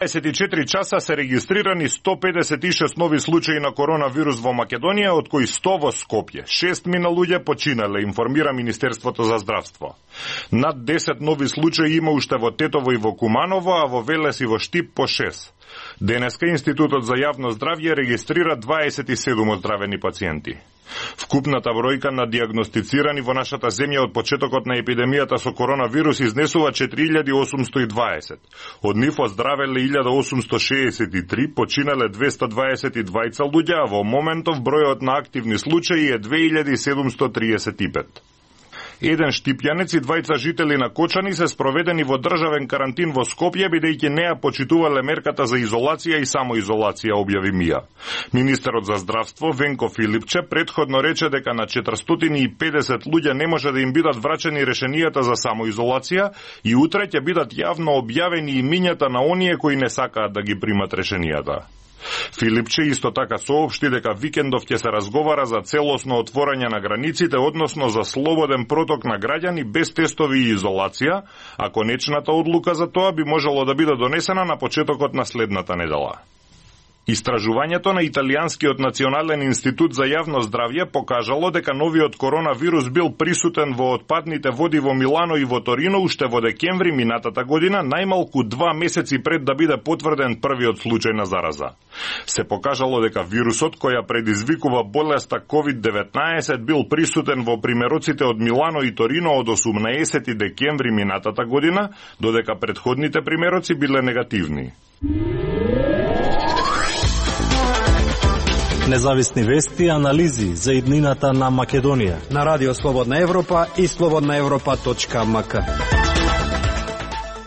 24 часа се регистрирани 156 нови случаи на коронавирус во Македонија, од кои 100 во Скопје. 6 луѓе починале, информира Министерството за здравство. Над 10 нови случаи има уште во Тетово и во Куманово, а во Велес и во Штип по 6. Денеска Институтот за јавно здравје регистрира 27 оздравени пациенти. Вкупната бројка на диагностицирани во нашата земја од почетокот на епидемијата со коронавирус изнесува 4820. Од нив оздравеле 1863, починале 222 луѓе, а во моментов бројот на активни случаи е 2735. Еден штипјанец и двајца жители на Кочани се спроведени во државен карантин во Скопје, бидејќи не ја почитувале мерката за изолација и самоизолација, објави МИА. Министерот за здравство Венко Филипче претходно рече дека на 450 луѓе не може да им бидат врачени решенијата за самоизолација и утре ќе бидат јавно објавени имињата на оние кои не сакаат да ги примат решенијата. Филипче исто така соопшти дека викендов ќе се разговара за целосно отворање на границите, односно за слободен проток на граѓани без тестови и изолација, а конечната одлука за тоа би можело да биде донесена на почетокот на следната недела. Истражувањето на Италијанскиот национален институт за јавно здравје покажало дека новиот коронавирус бил присутен во отпадните води во Милано и во Торино уште во декември минатата година, најмалку 2 месеци пред да биде потврден првиот случај на зараза. Се покажало дека вирусот кој ја предизвикува болеста COVID-19 бил присутен во примероците од Милано и Торино од 18 декември минатата година, додека претходните примероци биле негативни. Независни вести и анализи за иднината на Македонија на Радио Слободна Европа и slobodnaevropa.mk.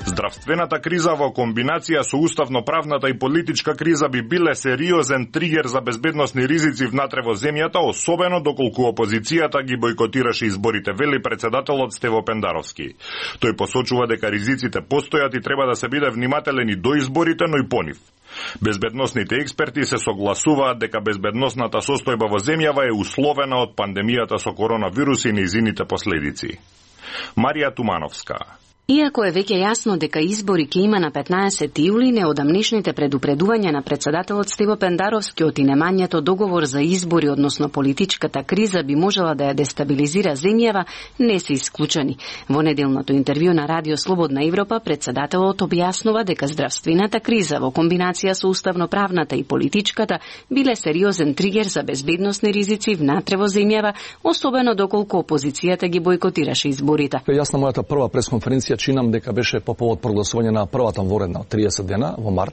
Здравствената криза во комбинација со уставно-правната и политичка криза би биле сериозен тригер за безбедносни ризици внатре во земјата, особено доколку опозицијата ги бойкотираше изборите, вели председателот Стево Пендаровски. Тој посочува дека ризиците постојат и треба да се биде внимателен и до изборите, но и по нив. Безбедносните експерти се согласуваат дека безбедносната состојба во земјава е условена од пандемијата со коронавирус и нејзините последици. Марија Тумановска. Иако е веќе јасно дека избори ќе има на 15 јули, неодамнешните предупредувања на председателот Стево Пендаровски од инемањето договор за избори, односно политичката криза би можела да ја дестабилизира земјава, не се исклучени. Во неделното интервју на Радио Слободна Европа, председателот објаснува дека здравствената криза во комбинација со уставно-правната и политичката биле сериозен тригер за безбедносни ризици внатре во земјава, особено доколку опозицијата ги бойкотираше изборите. Јас на мојата прва пресконференција чинам дека беше по повод прогласување на првата воредна 30 дена во март.